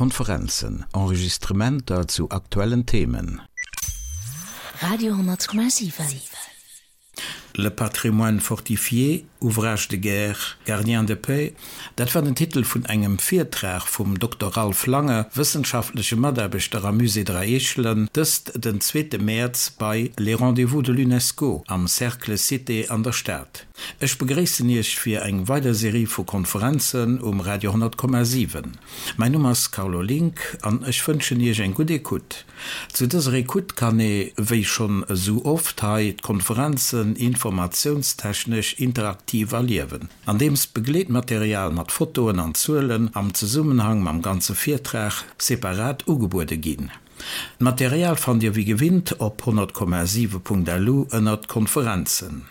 Konferenzen, Enregistrementer zu aktuellen Themen. Radio 10,7. Le patrimoine fortifié, ouvrage de guerre, gardien de paix, dat war den Titel vun engem Virtrag vum Dokter Ralph Lange, wëssenschaftleche Mataarbechter am Musée Dräi Eechelen, dëst den zweete Mäerz bei Les Rendez-vous de l'UNESCO am Cercle Cité an der Stad. Ech begréissen Iech fir eng weider Serie vu Konferenzen um Radio 10,7. Mäin Numm ass Carlo Link an ech wënschen Iech eng gutt Ecoute. Zu dëser Ecoute kann ee, wéi schonn esou oft hei, d'Konferenzen informatiounstechnesch interaktiv erliewen, andeems Begleetmaterial mat Fotoen an Zuelen am Zesummenhang mam ganze Virtrag separat ugebuede ginn. D'Material fannt Dir wéi gewinnt op 100,7.lu ënnert Konferenzen.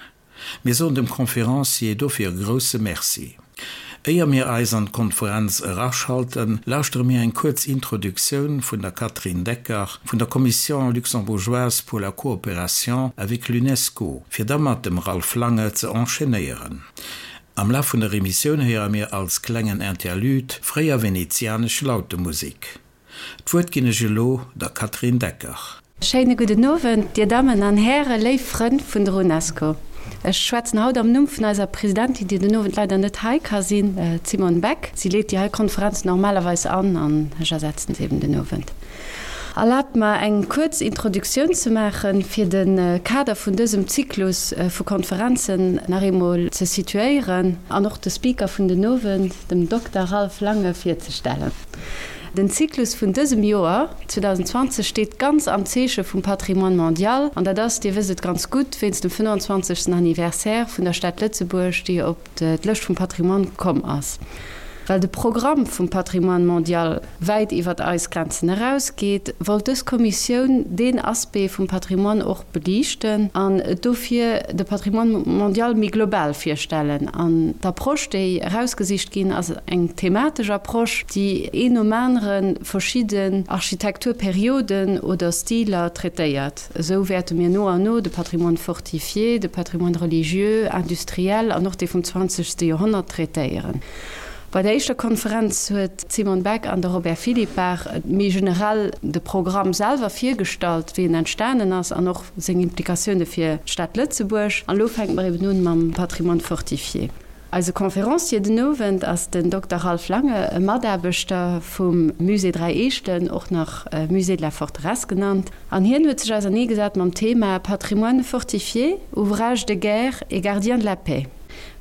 Mir soen dem Conférencier dofir e grousse Merci. Éier mir eis an d'Konferenz eraschalten, lauschtere mir eng kuerz Introduktioun vun der Catherine Decker vun der Commission luxembourgeoise pour la coopération avec l'UNESCO, fir da mat dem Ralph Lange ze enchaînéieren. Am Laf vun der Emissioun héiere mir als klengen Interlude fréier venezianesch Lautemusek. D'Wuert ginn ech elo der Catherine Decker. Schéine gudden Owend, Dir Dammen an Hären, léif Frënn vun der UNESCO. Ech schwätzen haut am Numm vun eiser Presidentin, déi den Owend leider net hei ka sinn, d'Simone Beck. Si leet déi hei Konferenz normalerweis an, an ech ersetzen se eben den Owend. Erlaabt mer, eng kuerz Introduktioun ze maachen, fir de Kader vun dësem Zyklus vu Konferenzen nach eemol ze situéieren an och de Speaker vun den Owend, dem Dokter Ralph Lange, virzestellen. Den Zyklus vun dësem Joer 2020 steet ganz am Zeeche vum Patrimoine mondial, an dat ass, Dir wësst et ganz gutt, wéinst dem 25. Anniversaire vun der Stad Lëtzebuerg, déi op d'Lëscht vum Patrimoine komm ass. Well de Programm vum Patrimoine mondial wäit iwwert eis Grenzen erausgeet, wollt dës Kommissioun deen Aspect vum Patrimoine och beliichten an dofir de Patrimoine mondial méi global virstellen. An d'Approche, déi erausgesicht ginn ass, eng thematesch Approche, déi een nom anere verschidden Architekturperioden oder Stiler traitéiert. Esou wäerte mir no an no de Patrimoine fortifié, de Patrimoine religieux, industriel an och dee vum zwanzegste Joerhonnert traitéieren. Bei der éischter Konferenz huet d'Simone Beck an de Robert Philippart méi generell de Programm selwer virgestallt, wéi en entstanen ass an och seng Implikatioune fir d'Stad Lëtzebuerg. An elo fänke mer eben un mam Patrimoine fortifié. Eise Conférencier den Owend ass den Dokter Ralph Lange, e Mataarbechter vum Musée Dräi Eechelen, och nach Musée de la Forteresse genannt, an hien huet sech auserneegesat mam Thema Patrimoine fortifié, ouvrage de guerre et gardien de la paix.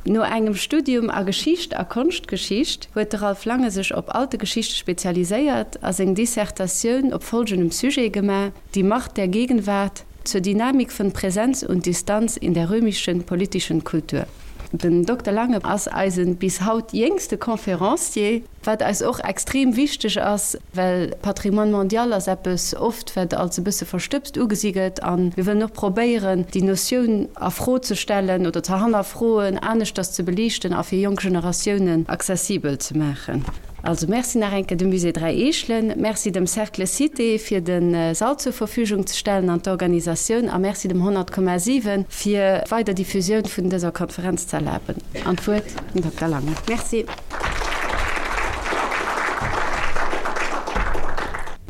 No engem Studium a Geschicht a Konschtgeschicht huet de Ralph Lange sech op Alte Geschichte spezialiséiert a seng Dissertatioun op folgendem Sujet gemaach, Die Macht der Gegenwart zur Dynamik von Präsenz und Distanz in der römischen politischen Kultur. Den Dokter Lange ass eisen bis haut jéngste Conférencier, wat eis och extrem wichteg ass, well Patrimoine mondial ass eppes oft, wat als e bësse verstëbst ugesi gëtt a mir wëllen och probéieren, déi Notioun a Fro ze stellen oder ze hannerfroen, aneschters ze beliichten a fir jonk Generatiounen accessibel ze maachen. Also Merci nach eng Kéier dem Musée Dräi Eechelen, Merci dem Cercle Cité fir de Sall zur Verfügung ze stellen an d'Organisatioun a Merci dem 100,7 fir d'weider Diffusioun vun dëser Konferenz ze erlaben. An d'Wuert den Dokter Lange. Merci.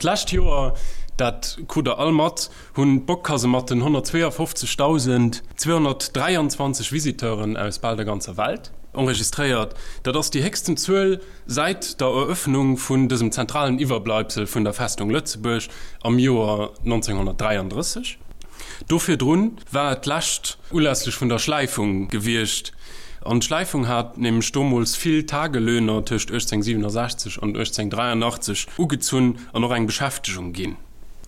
D'lescht Joer, dat krut der all mat, hunn d'Bock-Kasematten 152.223 Visiteuren aus bal der ganzer Welt enregistréiert. Dat ass déi héchsten Zuel säit der Eröffnung vun dësem zentralen Iwwerbleibsel vun der Festung Lëtzebuerg am Joer 1933. Do virdrun war et d'lescht ulässlech vun der Schläifung gewiescht. An d'Schläifung hat nämlech domols vill Tagelöhner tëscht 1867 an 1883 ugezunn an och eng Beschäftegung ginn.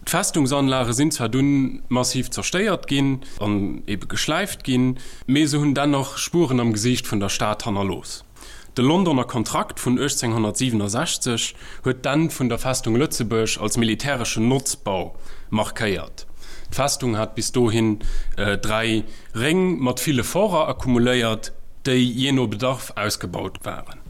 D'Festungsanlage sinn zwar dunn massiv zerstéiert ginn an ebe geschläift ginn, mee se hunn dennoch Spueren am Gesiicht vun der Stad hannerlooss. De Londoner Kontrakt vun 1867 huet d'Enn vun der Festung Lëtzebuerg als militäreschen Notzbau markéiert. D'Festung hat bis dohin 3 Réng mat ville Forter akkumuléiert, déi jee no Bedarf ausgebaut waren.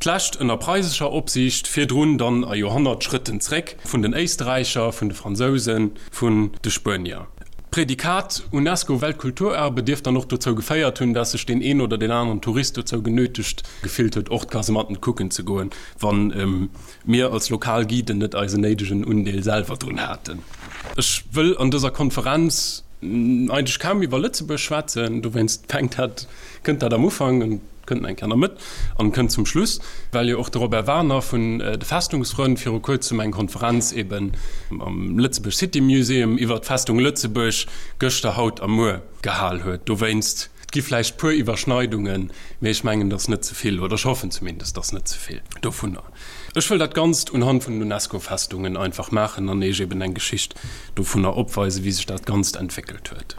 D'lescht ënner preisescher Opsiicht, virdrun dann a Joerhonnertschrëtten zréck vun den Éisträicher, vun de Fransousen, vun de Spuenier. D'Prädikat UNESCO-Weltkulturerbe dierft dann och dozou geféiert hunn, dass sech deen een oder deen aneren Tourist dozou genötegt gefillt huet, och d'Kasematten kucken ze goen, wann mir als lokal Guiden net eisen néidegen Undeel selwer drun haten. Ech wëll an dëser Konferenz eigentlech kaum iwwer Lëtzebuerg schwätzen, dowéinst fänkt dat, kënnt dat am Ufank an kënnt eng Kéier an der Mëtt an kënnt zum Schluss, well jo och de Robert Werner vun de Festungsfrënn viru kuerzem eng Konferenz eben am Lëtzebuerg City Museum iwwer d'Festung Lëtzebuerg gëschter, haut a muer gehal huet. Dowéinst, et gi vläicht puer Iwwerschneidungen, mee ech mengen, dass net ze vill, oder ech hoffen zumindest, dass net ze vill dovunner. Ech wëll dat Ganzt unhand vun den UNESCO-Festungen einfach maachen an Iech eben eng Geschicht dovunner opweisen, wéi sech dat Ganzt entwéckelt huet.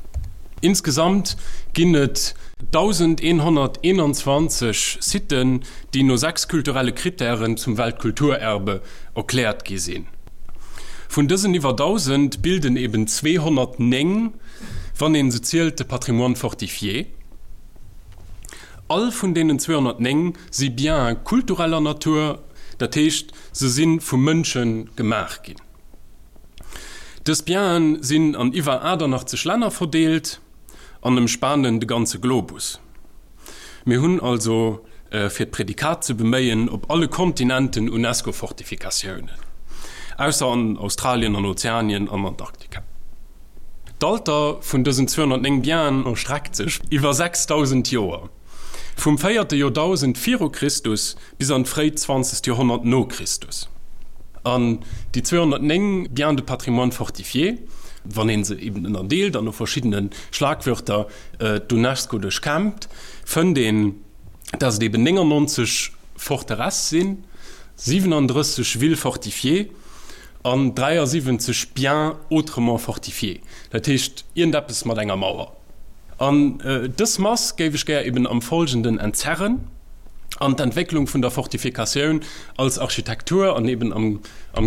Insgesamt ginn et 1.121 Siten, déi no 6 kulturelle Krittären zum Weltkulturerbe erkläert gi sinn. Vun dësen iwwer 1.000 bilden eben 209, wann een se zielt, de Patrimoine fortifié. All vun deenen 209 si Biens kultureller Natur, dat heescht, se si vu Mënsche gemaach ginn. Dës Bienen sinn an iwwer 88 Länner verdeelt an ëmspanen de ganze Globus. Mir hunn also, fir d'Prädikat ze beméien, op alle Kontinenten UNESCO-Fortifikatiounen, ausser an Australien, an Ozeanien an Antarktika. D'Alter vun dësen 209 Bienen erstreckt sech iwwer 6.000 Joer, vum véierte Joerdausend viru Christus bis an d'fréit zwanzegt Joerhonnert no Christus. An déi 209 Biens de patrimoine fortifié, wann ee se eben ënnerdeelt an no verschiddene Schlagwörter d'UNESCO duerchkämmt, fënnt een, dass et eben 99 Forteresse sinn, 37 Villes fortifiées, An 73 biens autrement fortifiés, dat heescht iergendeppes mat enger Mauer. An dës Mass géif ech gär eben am Folgenden entzerren an d'Entwécklung vun der Fortifikatioun als Architektur an eben am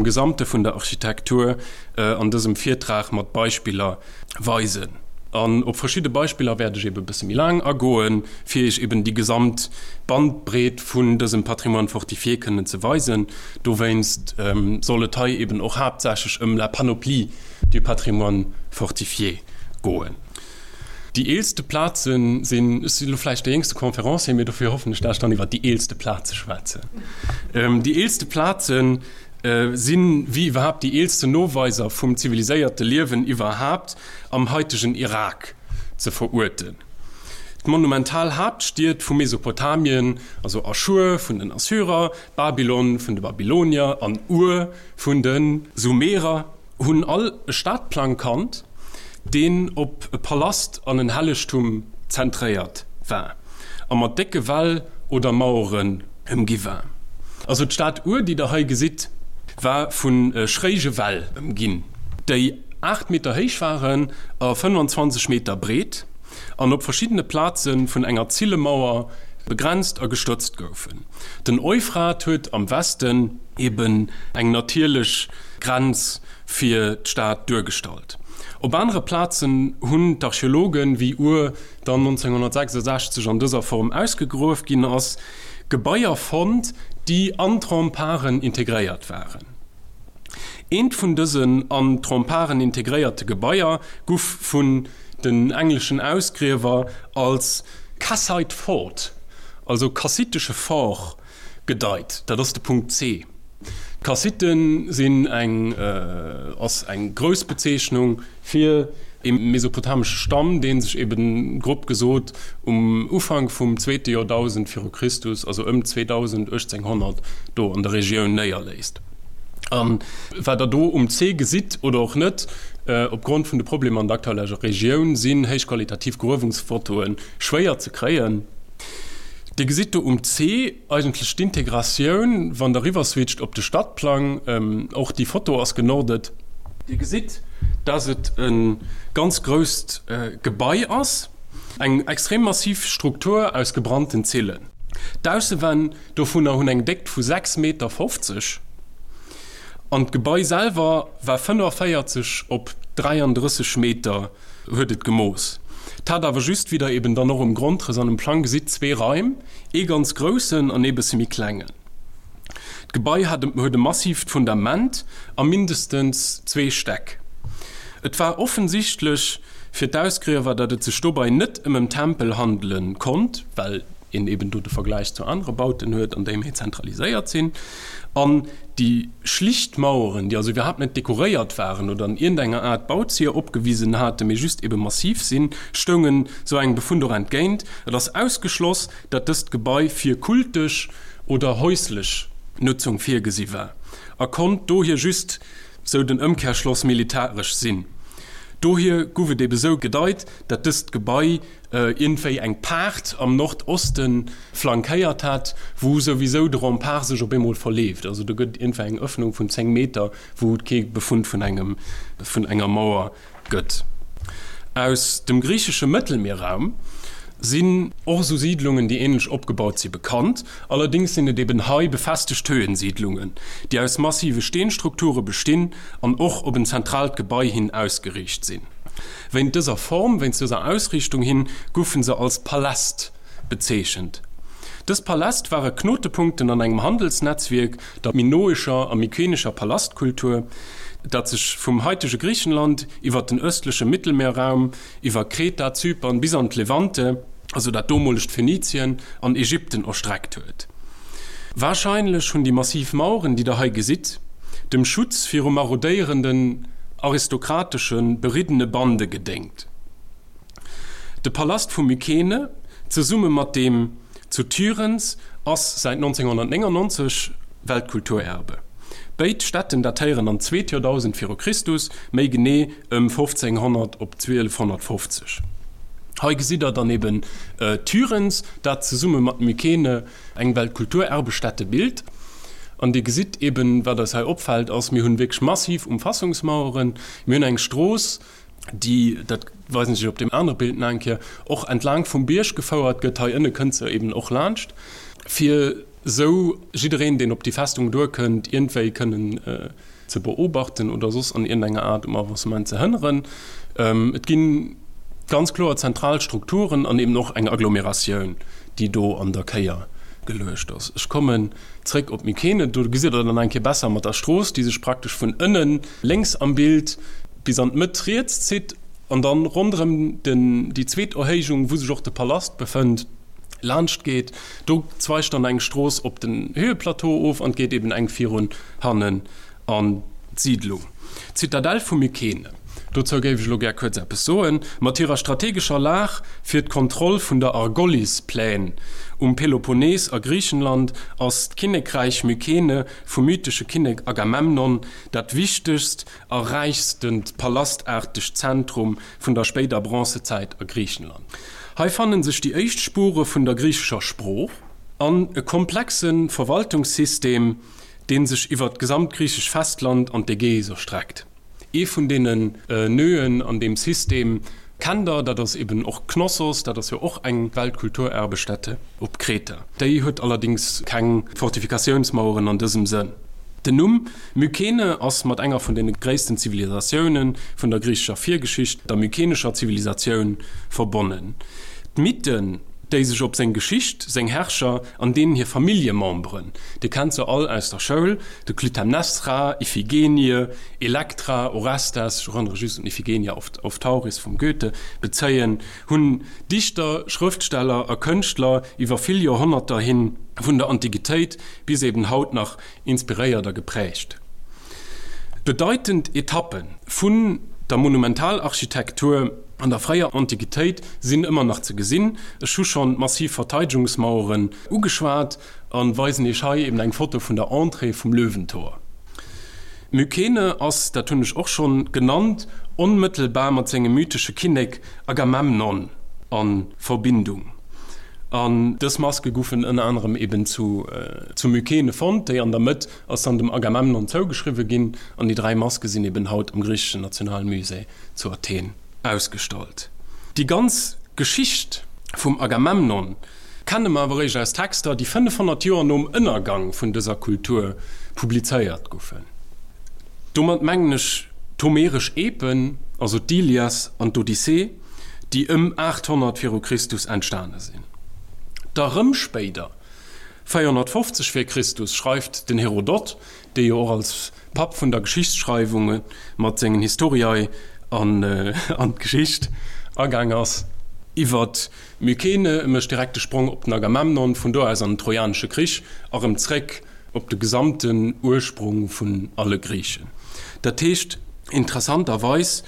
Gesamte vun der Architektur an dësem Virtrag mat Beispiller weisen. An op verschidde Beispiller wäert ech eben e bësse méi laang agoen, fir Iech eben déi gesamt Bandbreet vun dësem Patrimoine fortifié kënnen ze weisen. Dowéinst soll et hei eben och haaptsächlech ëm la panoplie du patrimoine fortifié goen. Déi eelste Plaze sinn, ech sinn elo vläicht de jéngste Conférencier, mee dofir hoffen ech, dat ech dann iwwert déi eelste Plaze schwätzen. Déi eelste Plazen, Sinn, wéi iwwerhaapt déi eelsten Noweiser vum ziviliséierte Liewen iwwerhaapt, am haitegen Irak ze veruerten. D'monumental Haaptstied vu Mesopotamien, also Aschur vun den Assyrer, Babylon vun de Babylonier an Ur vun de Sumerer, hunn all e Stadplang kannt, deen op e Palast an en Hellegtum zentréiert war a mat décke Wäll oder Maueren ëmgi war. Also d'Stad Ur, déi der hei gesitt, war vu schréige Wäll ëmginn, déi 8 Meter héich waren a 25 Meter breet an op verschiddene Plaze vun enger Zillemauer begrenzt a gestëtzt goufen. Den Euphrat huet am Westen eben eng natierlech Grenz fir d'Stad duergestallt. Op anere Plazen hunn d'Archeologen, wéi Ur dann 1966 an dëser Form ausgegruef ginn ass, Gebaier fonnt, déi an d'Remparten integréiert waren. Eent vun dësen an d'Remparten integréierte Gebaier guff vun den engleschen Ausgriewer als Kassite Fort, also kassitesche Fort, gedeit. Dat ass de Punkt C. D'Kassite sinn eng ass eng grouss Bezeechnung fir e mesopotamesche Stamm, dee sech eben, grob gesot, um Ufank vum zweete Joerdausend viru Christus, also ëm 2000, 1800, do an der Regioun néierléisst. A wat Der do um C gesitt oder och net, opgrond vun de Problemer an der aktueller Regioun sinn héichqualitativ Gruewungsfotoe schwéier ze kréien. Dir gesitt do um C eigentlech d'Integratioun, wann Der eriwwerswitcht op de Stadplang. Och déi Foto ass genordet. Dir gesitt, dass et e ganz grousst Gebai ass, eng extrem massiv Struktur aus gebrannten Zillen. D'Aussewänn dovunner hunn eng Déckt vu 6,50 Meter an d'Gebai selwer war 45 op 33 Meter. Huet et gemooss. 't hat awer just, wéi der eben dann och um Grondrëss an um Plang gesitt, zwee Raim, ee ganz groussen an ee bësse méi klengen. D'Gebai hat huet e massiivt Fundament a mindestens zwee Stäck. Et war offensichtlech. Fir d'Ausgriewer, datt et sech dobei net ëm em Tempel handele konnt, well een eben do de Vergläich zu anere Bauten huet, an déi méi zentraliséiert sinn, an déi schlicht Maueren, déi also iwwerhaapt net dekoréiert waren oder an iergendenger Aart Bauzier opgewisen haten, mee just ebe massiv sinn, stoungen sou engem Befund och entgéint. Et ass ausgeschloss, datt dëst Gebai fir kultesch oder häuslech Nutzung virgesi war a konnt dohier just, sou den Ëmkehrschloss, militaresch sinn. Dohier guff et ebe sou gedeit, datt dëst Gebai iergendwéi eng Paart am Nordoste flankéiert hat, wou souwisou de Rempart sech op eemol verleeft. Also do gëtt et iergendwéi eng Ëffnung vun 10 Meter, wou et kee Befund vun engem, vun enger Mauer gëtt. Aus dem griichesche Mëttelmierraum sinn och esou Siidlungen, déi änlech opgebaut si, bekannt. Allerdéngs sinn et eben hei befestegt Höhensiidlungen, déi aus massive Steenstrukture bestinn an och op en zentraalt Gebai hin ausgeriicht sinn. Wéint dëser Form, wéinst dëser Ausriichtung hin, goufe se als Paläst bezeechent. Dës Paläst ware Knotepunkten an engem Handelsnetzwierk der minoescher a mykenescher Palastkultur, dat sech vum haitege Griichenland iwwer den ëstleche Mittelmeerraum, iwwer Kreta, Zypern bis an d'Levante, also dat domolegt Phönizien, an Ägypten erstreckt huet. Warscheinlech hunn déi massiv Maueren, déi der hei gesitt, dem Schutz viru marodéierenden aristokratesche beriddene Bande gedéngt. De Palast vu Mykene, zesumme mat deem zu Tiryns, ass säit 1999 Weltkulturerbe. Béid Stätten datéieren an d'zweet Joerdausend viru Christus, méi genee ëm 1500 op 1250. Hei gesitt der dann eben Tiryns, dat zesumme mat Mykene eng Weltkulturerbestätte bilt. An Dir gesitt eben, wat eis hei opfält, ass, mir hunn wierklech massiv Umfassungsmaueren, mir hunn eng Strooss, déi, dat weisen ech Iech op deem anere Bild nach eng Kéier, och entlaang vum Bierg gefouert gëtt. Hei ënne kënnt se eben och laanscht, fir esou jiddereen, deen op déi Festung duerkënnt, iergendwéi kënnen ze beobachten oder soss an iergendenger Aart um Avancement ze hënneren. Et gi ganz kloer zentral Strukturen an eben och eng Agglomeratioun, déi do an der Kéier geluecht ass. Ech kommen zréck op Mykene. Do gesitt Der dann eng Kéier besser mat der Strooss, déi sech praktesch vun ënnen lénks am Bild bis an d'Mëtt riets zitt an dann ronderëm den, déi zweet Erhéijung, wou sech och de Palast befënnt, laanscht geet. Do zweigt dann eng Strooss op den Höheplateau of an 't geet eben eng virun hannen an d'Siidlung. D'Zitadell vu Mykene, dozou géif ech elo gär kuerz eppes soen. Mat hirer strategescher Lag fir d'Kontroll vun der Argolis-Plaine um Peloponnes a Griichenland ass d'Kinnekräich Mykene vum mythesche Kinnek Agamemnon dat wichtegst a räichstent palastaartegt Zentrum vun der spéider Bronzezäit a Griichenland. Hei fannen sech déi éischt Spure vun der griichescher Sprooch an e komplexe Verwaltungssystem, dee sech iwwer d'gesamt griichesch Festland an d'Ägäis erstreckt. Ee vun deenen Nöen an deem System kennt der, dat ass eben och Knossos, dat ass jo och eng Weltkulturerbestätte op Kreta. Déi huet allerdéngs keng Fortifikatiounsmaueren an dësem Sënn. Den Numm Mykene ass mat enger vun deene gréissten Zivilisatioune vun der griichescher Virgeschicht, der mykenescher Zivilisatioun, verbonnen. D'Mythen, déi sech op seng Geschicht, seng Herrscher an deenen hir Familljememberen, Dir kennt se all aus der Schoul, de Klytämnestra, Iphigenie, Elektra, Orestes, ech erënnere just un Iphigenia auf Tauris vum Goethe, bezéien, hunn Dichter, Schrëftsteller a Kënschtler iwwer vill Joerhonnerter hin, vun der Antiquitéit bis eben haut nach, inspiréiert a geprägt. Bedeitend Etappe vun der Monumentalarchitektur an der fréier Antiquitéit sinn ëmmer nach ze gesinn. Ech hu schonn d'massiv Verteidegungsmaueren ugeschwat a weisen Iech hei eben eng Foto vun der Entrée vum Löwentor. Mykene ass, dat hunn ech och schonn genannt, onmëttelbar mat sengem mythesche Kinnek Agamemnon a Verbindung. An dës Maske goufen ënner anerem eben zu Mykene fonnt. Déi an der Mëtt ass dann dem Agamemnon zougeschriwwe ginn. An déi 3 Maske sinn eben haut am griicheschen Nationalmusée zu Athen ausgestallt. Déi ganz Geschicht vum Agamemnon kenne mer awer eréischt aus Texter, déi 500 Joer nom Ënnergang vun dëser Kultur publizéiert goufen. Domat mengen ech d'homeresch Epen, also d'Ilias an d'Odyssee, déi ëm 800 viru Christus entstane sinn. Da rëm spéider, 450 vir Christus, schreift den Herodot, dee jo och als Papp vun der Geschichtsschreiwung mat sengen Historiae. an d'Geschicht agaang ass. Iwwer Mykene, e mécht direkt de Sprong op den Agamemnon, vun do aus an den Trojanesche Krich a rëm zréck op de gesamten Ursprung vun alle Griichen. Dat heescht, interessanterweis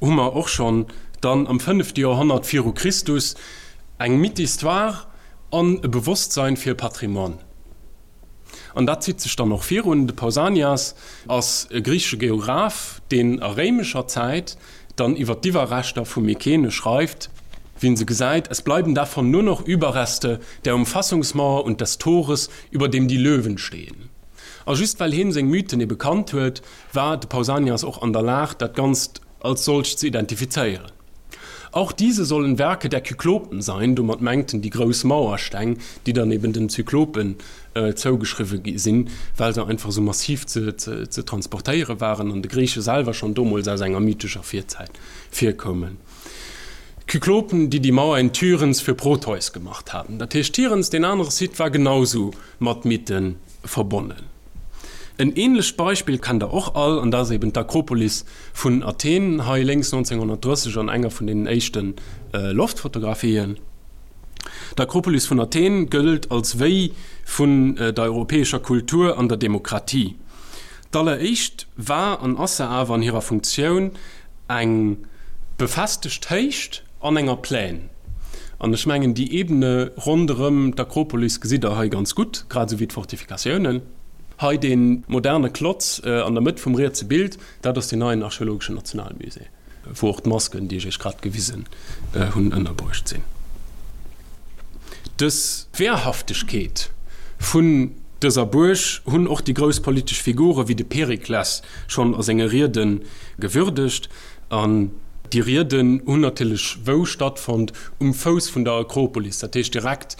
hu mer och schonn dann am fënnefte Joerhonnert viru Christus eng Mythe-histoire an e Bewosstsein fir e Patrimoine. An dat zitt sech dann och virun. De Pausanias ass e griichesche Geograph, deen a réimescher Zäit dann iwwer d'Iwwerreschter vu Mykene schreift, wien se gesäit, Es bleiben davon nur noch Überreste der Umfassungsmauer und des Tores, über dem die Löwen stehen. A just well hien seng Mythen ebe kannt huet, war de Pausanias och an der Lag, dat Ganzt als solcht ze identifizéieren. Auch diese sollen Werke der Kyklopen sein, domat mengt en déi grouss Mauersteng, déi dann eben den Zyklopen zougeschriwwe gi sinn, well se einfach esou massiv ze transportéiere waren an de Griiche selwer schonn domols aus enger mythescher Virzäit virkoumen. D'Kyklopen, déi die Mauer in Tiryns für Proteus gemacht haben. Dat heescht, Tiryns, deen anere Site, war genausou mat Mythe verbonnen. En ähnlecht Beispill kennt der och all, an dat ass eben d'Akropolis vun Athen, hei lénks 1930 an enger vun deenen éischte Loftfotografien. D'Akropolis vun Athen gëllt als Wéi vun der europäescher Kultur an der Demokratie. D'alleréischt war an ass se awer an hirer Funktioun eng befestegt Héicht an enger Plaine. An ech mengen, déi Ebene ronderëm d'Akropolis gesitt Der hei ganz gutt, grad esou wéi d'Fortifikatiounen. Hei dee moderne Klotz an der Mëtt vum rietse Bild, dat ass deen neien archeologeschen Nationalmusée, wou och d'Masken, déi ech Iech grad gewisen hunn, ënnerbruecht sinn. Dës Wehrhaftegkeet vun dëser Buerg hunn och déi grouss politesch Figure wéi de Perikles schonn a senge Riede gewürdegt. An déi Rieden hunn natierlech wou stattfonnt? Um Fouss vun der Akropolis, dat heescht direkt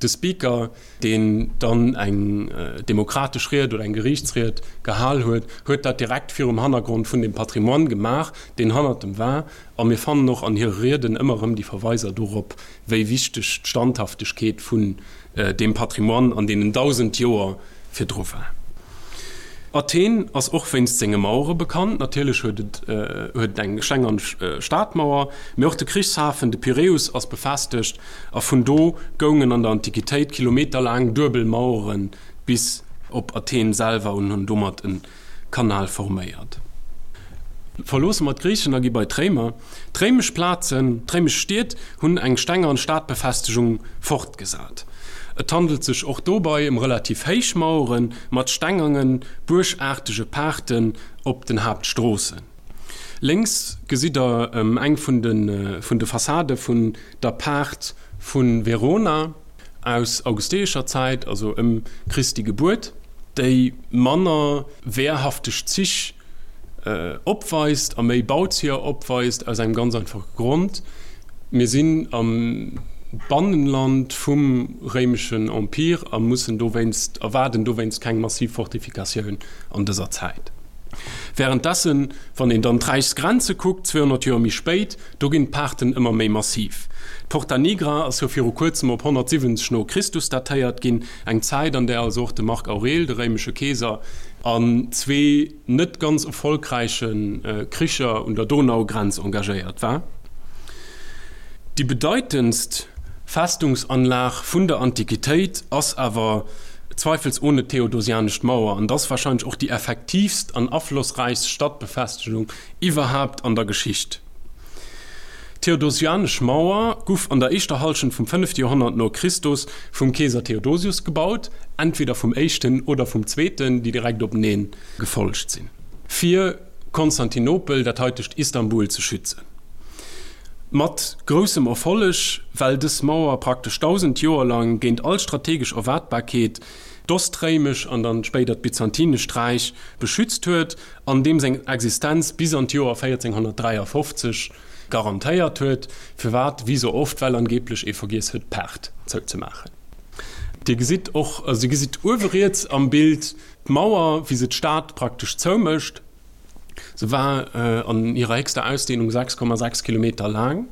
de Speaker, deen dann eng demokratesch Ried oder eng Geriichtsried gehal huet, huet dat direkt virum Hannergrond vun deem Patrimoine gemaach, deen hannert em war. A mir fannen och an hire Rieden ëmmer erëm déi Verweiser dorop, wéi wichteg d'Standhaftegkeet vun deem Patrimoine an deenen 1.000 Joer virdru war. Athen ass och wéinst senge Mauere bekannt. Natierlech huet et huet et eng stengern Stadmauer, mee och de Krichshafen, de Piräus, ass befestegt a vun do goungen an der Antiquitéit kilometerlaang duebel Mauere bis op Athen selwer un hunn domat e Kanal forméiert. Verloosse mer d'Griichen a gi bei d'Réimer. D'réimesch Plazen, d'réimesch Stied hunn eng stengern Stadbefestegung fortgesat. Et handelt sech och dobei ëm relativ héich Mauere mat stengernen, buergaartege Paarten op den Haaptstroossen. Lénks gesitt der eng vun de vun de Fassade vun der Paart vu Verona aus augusteescher Zäit, also ëm Christi Gebuert, déi manner wehrhafteg Zich opweist a méi Bauzieher opweist, aus engem ganz einfache Grond, Mir sinn am Bannenland vum réimeschen Empire a mussen dowéinst, erwaarden dowéinst keng massiv Fortifikatioun an dëser Zäit. Wärenddessen, wann een dann d'Räichsgrenze kuckt, 200 Joer méi spéit, do ginn d'Paarten ëmmer méi massiv. D'Porta Nigra ass jo viru kuerzem op 170 no Christus datéiert ginn, eng Zäit, an där also och de Marc Aurel, de réimesche Keeser, an zwee net ganz erfolgräiche Kricher un der Donaugrenz engagéiert war. Déi bedeitendst Festungsanlag vun der Antiquitéit ass awer zweifelsohne d'Theodosianesch Mauer an ass warscheinlech och déi effektiivst an aflossräichst Stadbefestegung iwwerhaapt an der Geschicht. D'Theodosianesch Mauer guff an der éischter Hallschent vum fënnefte Joerhonnert no Christus vum Keeser Theodosius gebaut, entweder vum éischten oder vum zweeten, déi direkt openee gefollegt sinn, fir Konstantinopel, dat haitegt Istanbul, ze schützen. Mat groussem Erfolleg, well dës Mauer praktesch 1.000 Joer lang géint all strategesch Erwaartbarkeet d'Ostréimesch an dann spéider d'Byzantinescht Räich beschützt huet an deem seng Existenz bis an d'Joer 1453 garantéiert huet. Firwat? Wéi sou oft, well angeblech ee vergiess huet d'Paart zouzemaachen. Dir gesitt och, also dir gesitt uewe riets am Bild d'Mauer, wéi se d'Stad praktesch zoumécht. Se war an hirer héchster Ausdehnung 6,6 Kilometer laang.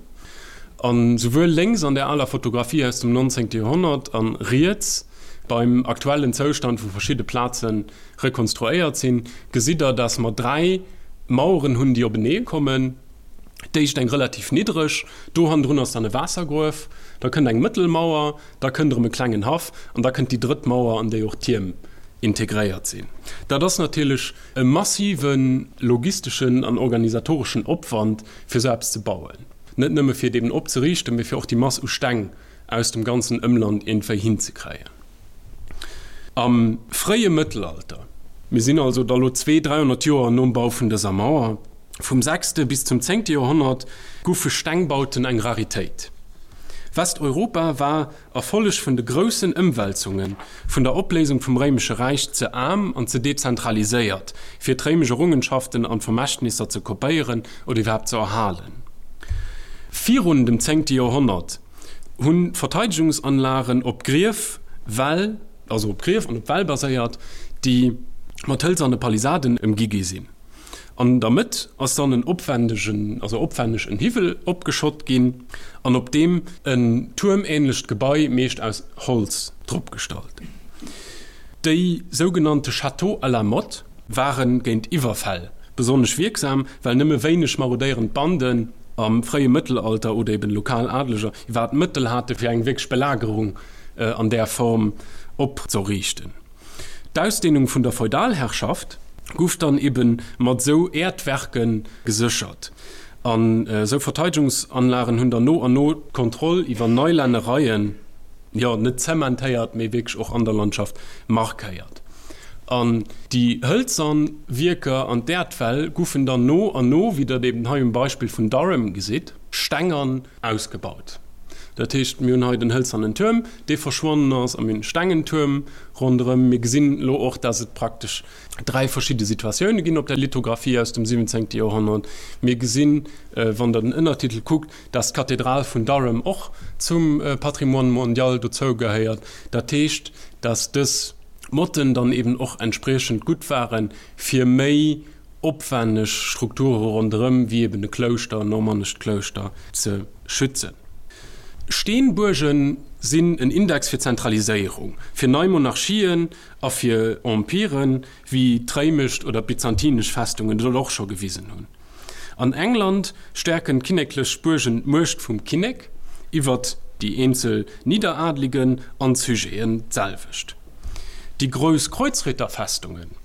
An souwuel lénks an der aler Fotografie aus dem 19. Joerhonnert an riets beim aktuellen Zoustand, wou verschidde Plaze rekonstruéiert sinn, gesitt der, dass mer 3 Maueren hunn, déi openee kommen. D'éischt eng relativ niddreg, do hannendrun ass dann e Waassergruef, da kënnt eng mëttel Mauer, da kënnt erëm e klengen Haff an da kënnt déi drëtt Mauer, an déi och d'Tierm integréiert sinn. Dat ass natierlech e massive logisteschen an organisatoreschen Opwand, fir esou eppes ze bauen. Net nëmme fir et eben opzeriichten, mee fir och déi Mass u Steng aus dem ganzen Ëmland iergendwéi hinzekréien. Am fréie Mëttelalter, mir sinn also da lo zwee, 300 Joer nom Bau vun dëser Mauer, vum sechste bis zum zéngte Joerhonnert, goufe Stengbauten eng Raritéit. Westeuropa war a Folleg vun de groussen Ëmwälzunge vun der Opléisung vum Réimesche Räich ze aarm an ze dezentraliséiert, fir d'réimesch Errungenschaften an Vermächtnisser ze kopéieren oder iwwerhaapt ze erhalen. Virun dem zéngte Joerhonnert hunn d'Verteidegungsanlagen op Grief, Wäll, also op Grief an op Wäll baséiert, déi mat hëlzerne Palisaden ëmgi gi sinn. An der Mëtt ass dann en opwändegen, also opwänneg en Hiwwel opgeschott ginn an op deem en tuermähnlecht Gebai, meescht aus Holz, drop gestallt. Déi sougenannte Châteaux à la motte ware géint Iwwerfäll besonnesch wierksam, well nëmme wéineg marodéierend Banden am fréie Mëttelalter oder eben lokal Adleger iwwerhaapt d'Mëttel hate fir eng wierklech Belagerung an där Form opzeriichten. D'Ausdehnung vun der Feudalherrschaft guff dann eben mat sou Äerdwerke geséchert. An sou Verteidegungsanlagen hunn dann no an no d'Kontroll iwwer nei Lännereien, jo net zementéiert, mee wierklech och an der Landschaft markéiert. An déi hëlzern Wierker an d'Äerdwäll guffen dann no an no, wéi der et eben hei um Beispill vun Durham gesitt, stengern ausgebaut. Dat heescht, mir hunn hei den hëlzernen Tuerm, dee verschwonnen ass, a mir hunn e stengen Tuerm ronderëm. Mir gesinn elo och, dass et praktesch dräi verschidde Situatioune ginn op der Lithografie aus dem 17. Joerhonnert. Mir gesinn, wann Der den Ënnertitel kuckt, dass d'Kathedral vun Durham och zum Patrimoine mondial dozou gehéiert. Dat heescht, dass dës Motten dann eben och entspriechend gutt ware fir méi opwenneg Strukture ronderëm, wéi eben e Klouschter, en normannescht Klouschter, ze schützen. Steenbuerge sinn en Index fir Zentraliséierung, fir nei Monarchien a fir Empiren, wéi d'réimescht oder d'byzantinesch Festungen dat och scho gewisen hunn. An England stäerken d'kinneklech Buergen d'Muecht vum Kinnek iwwert déi eenzel Nidderadligen an d'Sujeten d'selwecht. Déi grouss Kreuzritterfestungen,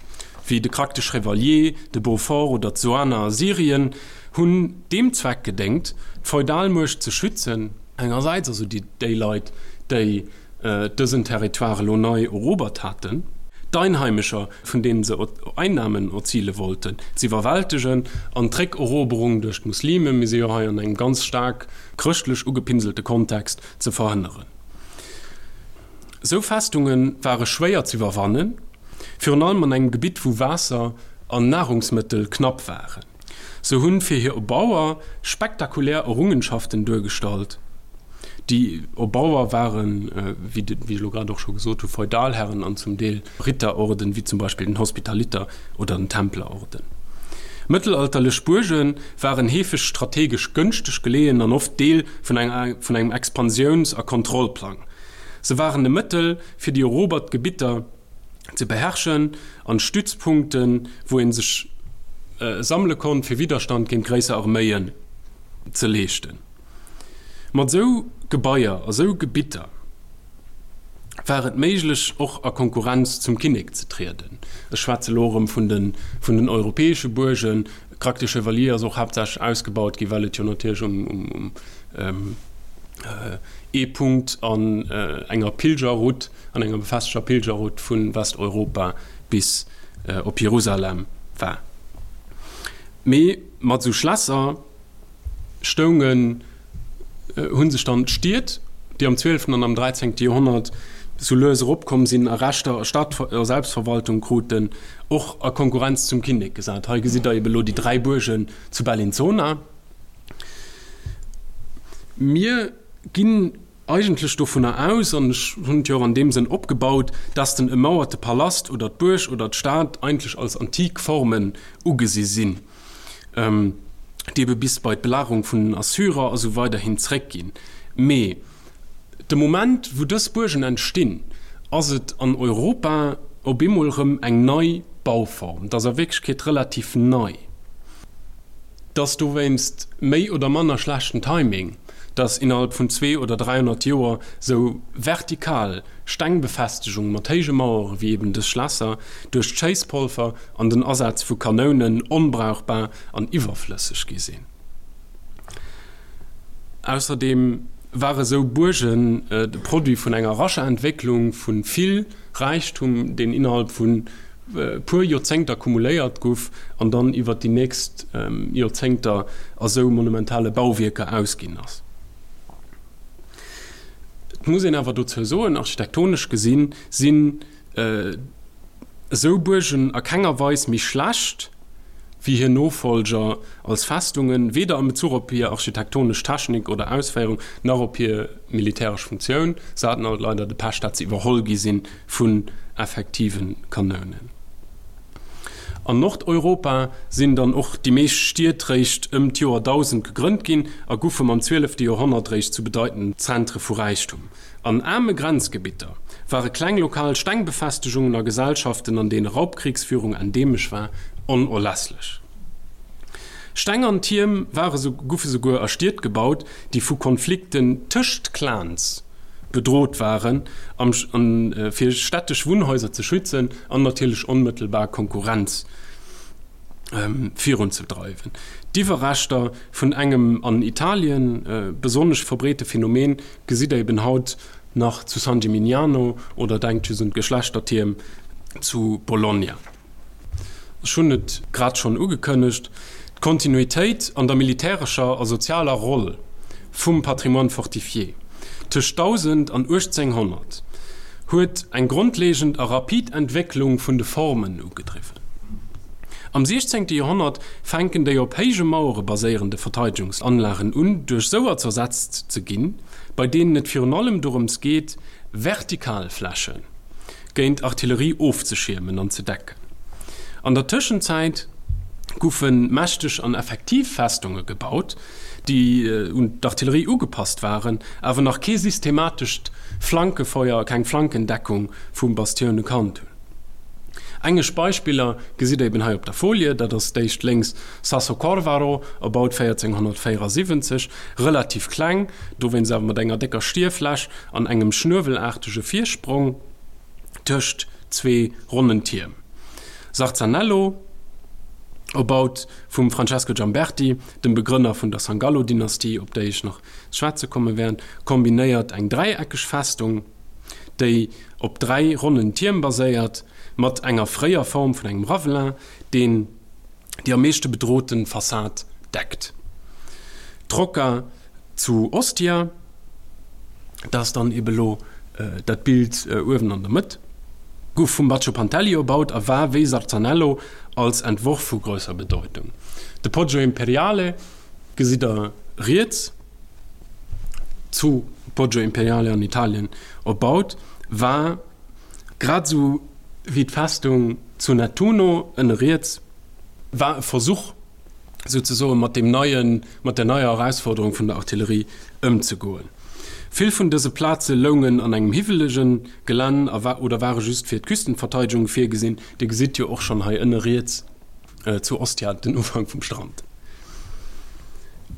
wéi de Krak de Chevalier, de Beaufort oder d'Soana a Syrien, hunn deem Zweck gedéngt, d'Feudalmuecht ze schützen, engersäits also déi Leit, déi dësen Territoire elo nei erobert haten, d'Einheimescher, vun deenen se Einnamen erzile wollten, z'iwwerwältegen, an d'Réckeroberung duerch d'Muslime, mir si jo hei an engem ganz staark chrëschtlech ugepinselte Kontext, ze verhënneren. Esou Festunge ware schwéier z'iwwerwannen, virun allem an engem Gebitt wou Waasser an Nahrungsmëttel knapp waren. Se hunn fir hir Erbauer spektakulär Errungenschaften duergestallt. Déi Erbauer waren, wéi ech elo grad och scho gesot hu, Feudalherren an zum Deel Ritterorden, wéi zum Beispill den Hospitaliter oder den Templerorden. Mëttelalterlech Buerge waren heefeg strategesch gënschteg geleeën an oft Deel vun engem Expansiouns a Kontrollplang. Se waren e Mëttel, fir déi erobert Gebitter ze beherrschen an Stützpunkten, wou ee sech sammele konnt, fir Widderstand géint gréisser Arméien ze leeschten. Mat esou Gebaier a sou Gebitter war et méiglech, och a Konkurrenz zum Kinnek ze trieden. Ech schwätze lo erëm vun den, vun den europäesche Buergen. D'Krak des Chevaliers ass och haaptsächlech ausgebaut ginn, well et jo natierlech um, um ee Punkt an enger Pilgerroute, an enger befesteger Pilgerroute vu Westeuropa bis op Jerusalem war. Mee mat esou Schlässer stoungen, hu sech dann d'Stied, déi am zwielften an am dräizéngte Joerhonnert sou lues eropkomm sinn a Rechter a Stad a Selbstverwaltung kruten, och a Konkurrenz zum Kinnek gesat. Hei gesitt Der ebe lo déi dräi Buergen zu Bellinzona. Mir ginn eigentlech dovunner aus, an ech hunn et jo och an deem Sënn opgebaut, dass den emauerte Palast oder d'Buerg oder d'Stad eigentlech als antik Formen ugesi sinn, déi ebe bis bei d'Belagerung vun den Assyrer a sou weider hin zréckginn. Mee de Moment, wou dës Buergen entstinn, ass et an Europa op eemol erëm eng nei Bauform. Et ass a Wierklechkeet relativ nei. Et ass dowéinst méi oder manner schlechten Timing, dass innerhalb vun zwee oder 300 Joer sou vertikal Stengbefestegung mat héije Mauere wéi eben dës Schlässer duerch d'Schéisspolfer an den Asaz vu Kanounen onbrauchbar an iwwerflësseg gi sinn. Ausserdeem ware sou Buergen de Produit vun enger rascher Entwécklung vu vill Räichtum, deen innerhalb vu puer Joerzéngter kumuléiert guff an dann iwwer déi nächst Joerzéngter a sou monumentale Bauwierker ausginn ass. Et muss een awer dozou soen, architektonesch gesinn sinn esou Buergen a kenger Weis méi schlecht wéi hir Nofollger als Festungen, weder am Bezuch op hir architektonesch Technik oder Ausféierung, nach op hir militäresch Funktioun. Se haten alt leider de Pech, dat se iwwerholl gi sinn vun effektive Kanounen. An Nordeuropa sinn dann och déi meescht Stied réischt ëm d'Joer 1000 gegrënnt ginn a goufe mam zwielefte Joerhonnert réischt zu bedeitenden Zentre vu Räichtum. An aarme Grenzgebitter ware kleng lokal Stengbefestegungen a Gesellschaften, an deene Raubkrichsführung endeemesch war, onerlässlech. Steng an Tierm ware goufe souguer a Stied gebaut, déi vu Konflikten tëscht Clans bedrot waren, fir städtesch Wunnhaiser ze schützen an natierlech onmëttelbar Konkurrenz virunzedreiwen. D'Iwwerreschter vun engem an Italien besonnesch verbreete Phänomen gesitt der eben haut nach zu San Gimignano oder denkt just un d'Geschlechtertierm zu Bologna. Ech hunn et grad schonn ugekënnegt, d'Kontinuitéit an der militärescher a sozialer Roll vum Patrimoine fortifié tëscht 1000 an 1800 huet eng grondlegend a rapid Entwécklung vun de Formen ugedriwwen. Am 16. Joerhonnert fänken déi op héije Mauere baséierende Verteidegungsanlagen un, duerch souer zersetzt ze ginn, bei deenen et virun allem dorëms geet, vertikal Fläche géint Artillerie ofzeschiermen an ze decken. An der Tëschenzäit goufe mächteg an effektiv Festunge gebaut, déi un d'Artillerie ugepasst waren, awer nach kee systematescht Flankefeuer, keng Flankendeckung vu Bastioune kannt hunn. Engesch Beispiller gesitt der eben hei op der Folie, dat ass d'éischt lénks Sasso Corvaro, erbaut 1474, relativ kleng, dowéinst awer mat enger décker Stierfläch an engem schnuewelaartege Virsprong tëscht zwee ronnen Tierm. Sarzanello, erbaut vum Francesco Giamberti, dem Begrënner vun der Sangallo-Dynastie, op déi ech nach ze schwätze komme wäert, kombinéiert eng dräieckeg Festung, déi op 3 ronnen Tierm baséiert, mat enger fréier Form vun engem Ravelin, deen déi am meeschte bedrote Fassad deckt. D'Rocca zu Ostia, dat ass dann ebe lo dat Bild uewen an der Mëtt, gouf vum Baccio Pantelli erbaut a war wéi Sarzanello als Entworf vu grousser Bedeutung. De Poggio Imperiale gesitt der riets. Zu Poggio Imperiale an Italien erbaut war, grad esou wéi d'Festung zu Nettuno, ënne riets, war e Versuch souzesoe mat deem neien, mat der neier Erausforderung vun der Artillerie ëmzegoen. Vill vun dëse Plaze loungen an engem hiwwelege Gelänn a oder ware just fir d'Küstenverteidegung virgesinn. Dir gesitt jo och schonn hei ënne riets, Zu Ostia den Ufank vum Strand.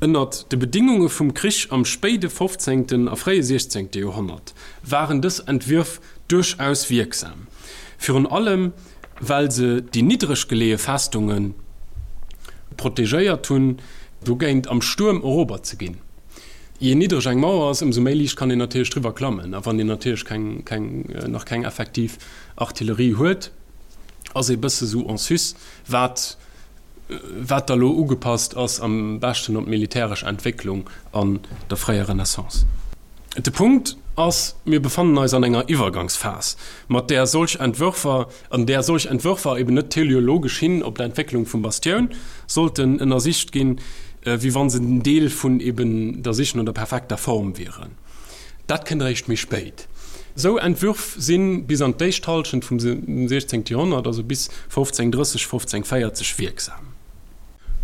Ënnert de Bedingunge vum Krich am spéide fofzéngten a fréie siechzéngte Joerhonnert waren dës Entwürf duerchaus wierksam, virun allem well se déi niddreg geleeë Festunge protegéiert hunn, dogéint am Stuerm erobert ze ginn. Jee niddreg eng Mauer ass, ëmsou méi liicht kann een natierlech driwwer klammen, a wann een natierlech keng, keng, nach keng effektiv Artillerie huet, ass ee bësse sou en sus, wat wat da lo ugepasst ass am beschten op d'militäresch Entwécklung an der fréier Renaissance. De Punkt ass, mir befannen eis an enger Iwwergangsphas, mat där solch Entwërfer, an där solch Entwërfer eben net teleologesch hin op d'Entwécklung vum Bastioun sollten ënnersicht ginn, wéi wann se en Deel vun eben der Sich no der perfekter Form wieren. Dat kënnt eréischt méi spéit. Esou Entwürf si bis an d'éischt Hallschent vum 16. Joerhonnert, also bis 1530, 1540 wierksam.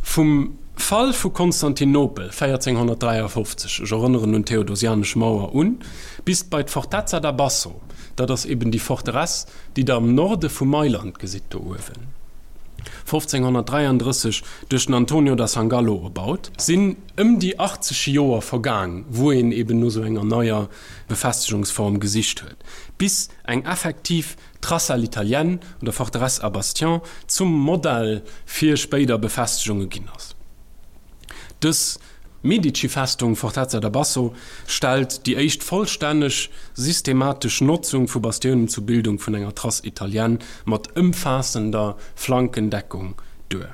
Vum Fall vu Konstantinopel 1453, ech erënneren un d'Theodosianesch Mauer, un, bis bei d'Fortezza da Basso, dat ass eben déi Forteresse, déi Der am Norde vu Mailand gesitt do uewen. 1533 duerch den Antonio da Sangallo erbaut, sinn ëm déi 80 Joer vergaang, wou een eben no sou enger neier Befestegungsform gesicht huet, bis eng effektiv Trace à l'italienne oder Forteresse à bastion zum Modell fir spéider Befestegunge ginn ass. Dës Medici-Festung Fortezza da Basso stellt déi éischt vollstänneg systematesch Notzung vu Bastiounen zur Bildung vun enger Trace italienne mat ëmfaassender Flankendeckung duer.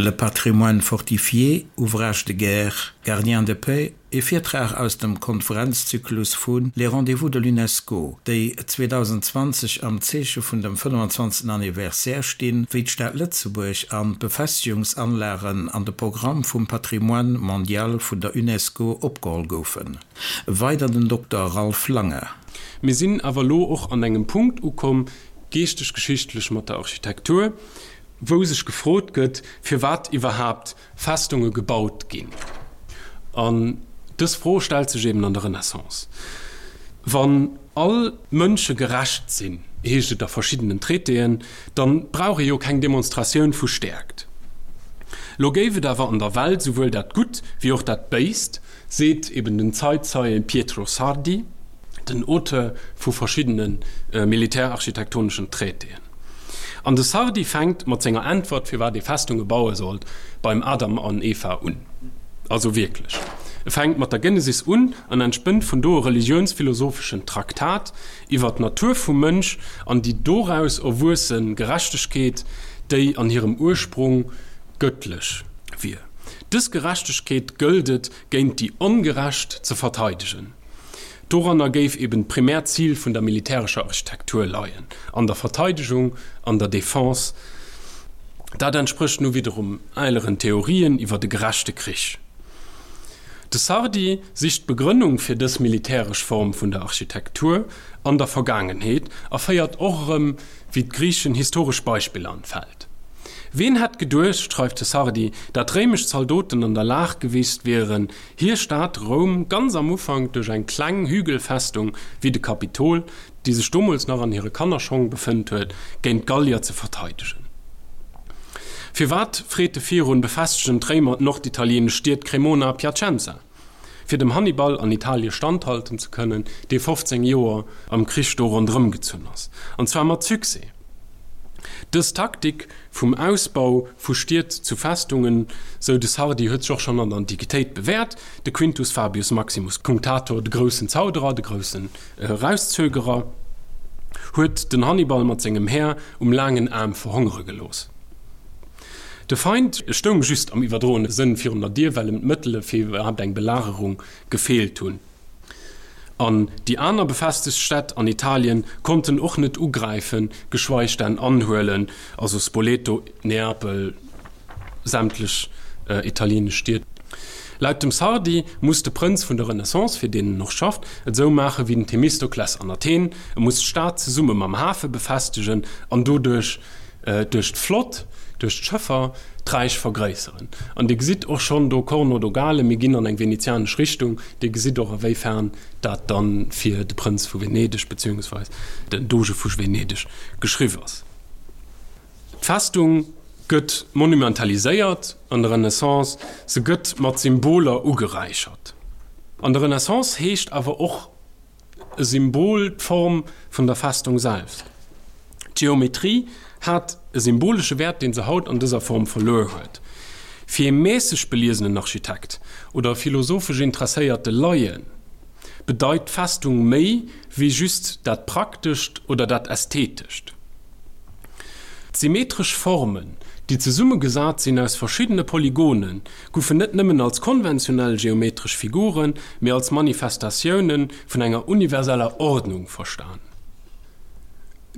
Le patrimoine fortifié, ouvrage de guerre, gardien de paix, E Virtrag aus dem Konferenzzyklus vu Les Rendez-vous de l'UNESCO, déi 2020 am Zeeche vun dem 25. Anniversaire stinn, wéi d'Stad Lëtzebuerg an d'Befestegungsanlagen an de Programm vum Patrimoine mondial vun der UNESCO opgeholl goufen. Weider den Dokter Ralph Lange. Mir sinn awer elo och an engem Punkt ukomm, geeschteg-geschichtlech mat der Architektur, wou sech gefrot gëtt, firwat iwwerhaapt Festunge gebaut ginn. An dës Fro stellt sech eben an der Renaissance. Wann all Mënsche gerecht sinn. Heescht et a verschiddenen Traitéen, dann brauch ee jo keng Demonstratioun vu Stäerkt. Lo géif et awer an der Welt souwuel dat Gutt wéi och dat Béist, seet eben den Zeitzeie Pietro Sardi, den Auteur vu verschiddene militärarchitektoneschen Traitéen. An de Sardi fänkt mat senger Äntwert, firwat ee Festunge baue sollt, beim Adam an Eva un. Also wierklech, e fänkt mat der Genesis un an entspënnt vun do e religiounsphilosopheschen Traktat iwwer d'Natur vum Mënsch an déi doraus erwuesse Gerechtegkeet, déi an hirem Ursprung gëttlech wier. Dës Gerechtegkeet gëllt et géint déi Ongerecht ze verteidegen. Doranner géif eben d'primäert Zil vun der militärescher Architektur leien, an der Verteidegung, an der Defense. Dat entsprécht nu wiederum eeleren Theorien iwwer de gerechte Krich. De Sardi sicht d'Begrënnung fir dës militäresch Form vun der Architektur an der Vergaangenheet a féiert och erëm wéi d'Griichen historesch Beispiller an d'Feld. Ween hätt geduecht, schreift de Sardi, dat réimesch Zaldoten an der Lag gewiescht wieren, hir Stad Roum ganz am Ufank duerch eng kleng Hügelfestung wéi de Kapitol, déi sech domools nach an hire Kannerschong befënnt huet, géint d'Gallier ze verteidegen. Firwat, freet e virun, befestegen d'Réimer d'norditalieenesch Stied Cremona a Piacenza? Fir dem Hannibal an Italie standhalten ze kënnen, dee 15 Joer am Krich do ronderëm gezunn ass, an zwar mat Succès. Dës Taktik vum Ausbau vu Stied zu Festungen, sou de Sardi, huet sech och schonn an der Antiquitéit bewäert. De Quintus Fabius Maximus Cunctator, de groussen Zauderer, de groussen Erauszögerer, huet den Hannibal mat sengem Här um laangen Aarm verhongere gelooss. De Feind stoung just am iwwerdroene Sënn virun der Dier, well em d'Mëttele fir iwwerhaapt eng Belagerung gefeelt hunn. An déi aner befestegt Stätt an Italien konnten och net ugräifen, geschweig denn anhuelen, also Spoleto, Neapel, sämtlech italienesch Stied. Laut dem Sardi muss de Prënz vun der Renaissance, fir deen en och schafft, et esou maache wéi den Themistokles an Athen, e muss d'Stad zesumme mam Hafe befestegen an doduerch duerch d'Flott, duerch d'Schëffer, d'Räich vergréisseren. An Dir gesitt och schonn do Corno Dogale, mir ginn an eng venezianesch Richtung, Dir gesitt och awéifern dat dann fir de Prënz vu Venedeg beziehungsweis den Doge vu Venedeg geschriww ass. D'Festung gëtt monumentaliséiert an der Renaissance, se gëtt mat Symboler ugeräichert. An der Renaissance heescht awer och e Symbol d'Form vun der Festung selst. D'Geometrie hat e symbolesche Wäert, dee se haut an dëser Form verluer huet. Fir ee mässeg beliesenen Architekt oder e philosophesch interesséierte Laie bedeit d'Festung méi wéi just dat Praktescht oder dat Ästhetescht. D'symmetresch Formen, déi zesummegesat sinn aus verschiddene Polygonen, goufen net nëmmen als konventionell geometresch Figuren, mee als Manifestatioune vun enger universeller Ordnung verstan.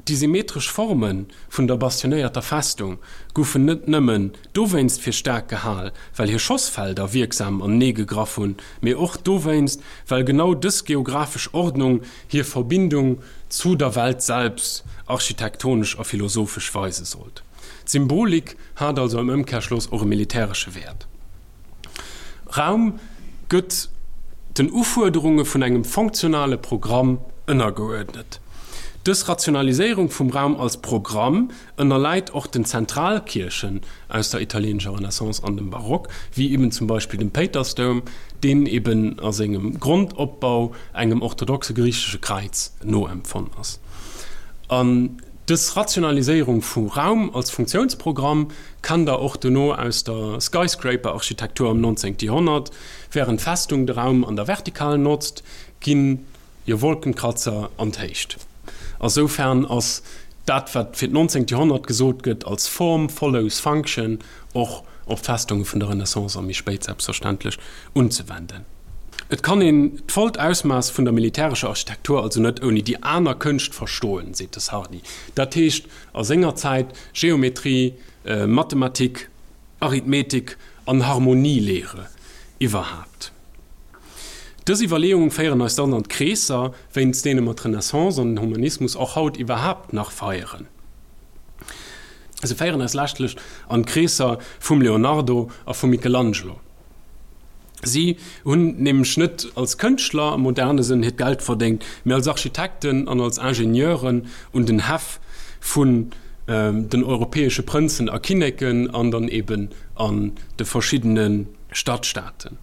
Déi symmetresch Forme vun der bastionéierter Festung goufen net nëmmen dowéinst fir staark gehal, well hir Schossfelder wierksam anenee gegraff hunn, mee och dowéinst, well genau dës geographesch Ordnung hir Verbindung zu der Welt selbst architektonesch a philosophesch weise sollt. D'Symbolik hat also am Ëmkehrschloss och e militäresche Wäert. Raum gëtt den Ufuerderunge vun engem funktionale Programm ënnergeuerdnet. Dës Rationaliséierung vum Raum als Programm ënnerläit och den Zentralkierchen aus der italieenescher Renaissance an dem Barock, wéi eben zum Beispill dem Péitersdoum, deen eben a sengem Grondopbau engem orthodoxe griichesche Kräiz noempfonn ass. An dës Rationaliséierung vu Raum als Funktiounsprogramm kennt Der och dono aus der Skyscraper-Architektur am 19. Joerhonnert, Wärend d'Festung de Raum an der Vertikal notzt, ginn Jo, Wolkenkratzer an d'Héicht. A soufern ass dat, wat fir d'nonzéngt Joerhonnert gesot gëtt als Form follows function, och op d'Festunge vun der Renaissance a méi spéit selbstverständlech unzewenden. Et kann een d'vollt Ausmaass vun der militärescher Architektur also net ouni déi aner Kënscht verstoen, seet de Sardi. Dat heescht a senger Zäit Geometrie, Mathematik, Arithmetik an Harmonielehre iwwerhaapt. Dës Iwwerleeungen féieren eis dann an d'Kreesser, wéinst deene mer d'Renaissance an den Humanismus och haut iwwerhaapt nach feieren. Se féieren eis leschtlech an d'Kreesser vum Leonardo a vum Michelangelo. Si hunn nämlech net als Kënschtler am moderne Sënn hiert Geld verdéngt, mee als Architekten an als Ingenieuren un den Häff vun den europäesche Prënzen a Kinneken an dann eben an de verschiddene Stadstaaten.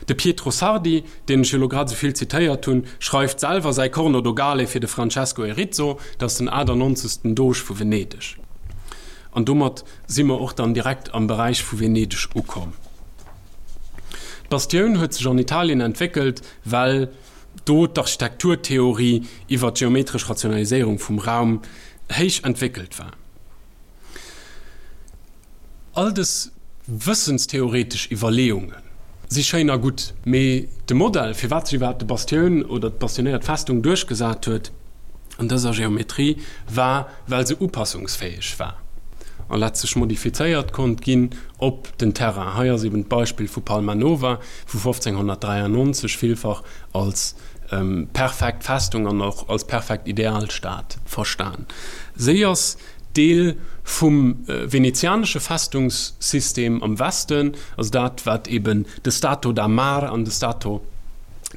De Pietro Sardi, deen ech jo elo grad esou vill zitéiert hunn, schreift selwer säi Corno Dogale fir de Francesco Erizzo, dat ass den 98. Doge vu Venedeg. An domat si mer och dann direkt am Beräich vu Venedeg ukomm. D'Bastioun huet sech an Italien entwéckelt, well do d'Architekturtheorie iwwer d'geometresch Rationaliséierung vum Raum héich entwéckelt war. All dës wëssenstheoretesch Iwwerleeunge si schéin a gutt, mee de Modell, firwat sech iwwerhaapt de Bastioun oder d'bastionéiert Festung duerchgesat huet an dëser Geometrie, war, well se upassungsfäeg war a letztlech modifizéiert konnt ginn op den Terrain. Hei ass eben d'Beispill vu Palma Nova vu 1593 villfach als perfekt Festung an och als perfekt Idealstad verstan. Si ass Deel vum venezianesche Festungssystem am Westen, also dat wat eben de Stato da Mar an de Stato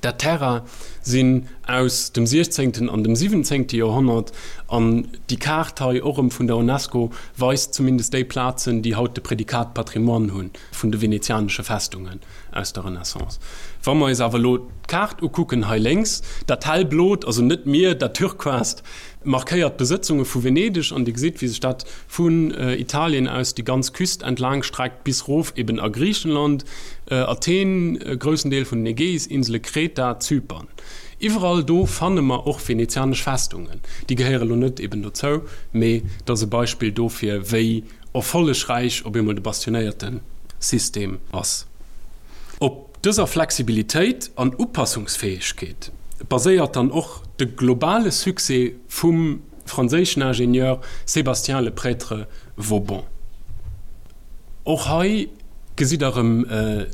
da Terra sinn aus dem siechzéngten an dem siwwenzéngte Joerhonnert. An déi Kaart hei, och erëm vun der Unesco, weist zumindest déi Plazen, déi haut de Prädikat Patrimoine hunn vun de venezianesche Festungen aus der Renaissance. Wa mer eis awer elo d'Kaart ukucken hei lénks, dat hellblot, also net d'Mier, dat Turquoist, Markéiert d'Besëtzunge vu Venedeg an Dir gesitt, wéi sech dat vun Italien aus déi ganz Küst entlaang streckt bis rof eben a Griichenland, Athen, e groussen Deel vun den Ägäis-Insele, Kreta, Zypern. Iwwerall do fanne mer och venezianesch Festungen. Déi gehéiere lo net eben dozou, mee dat ass e Beispill dofir, wéi erfollegräich op eemol de bastionéierte System ass. Op Dëser Flexibilitéit an Upassungsfäegkeet baséiert dann och de globale Succès vum franséischen Ingenieur Sébastien Le Prêtre Vauban. Och hei gesitt der erëm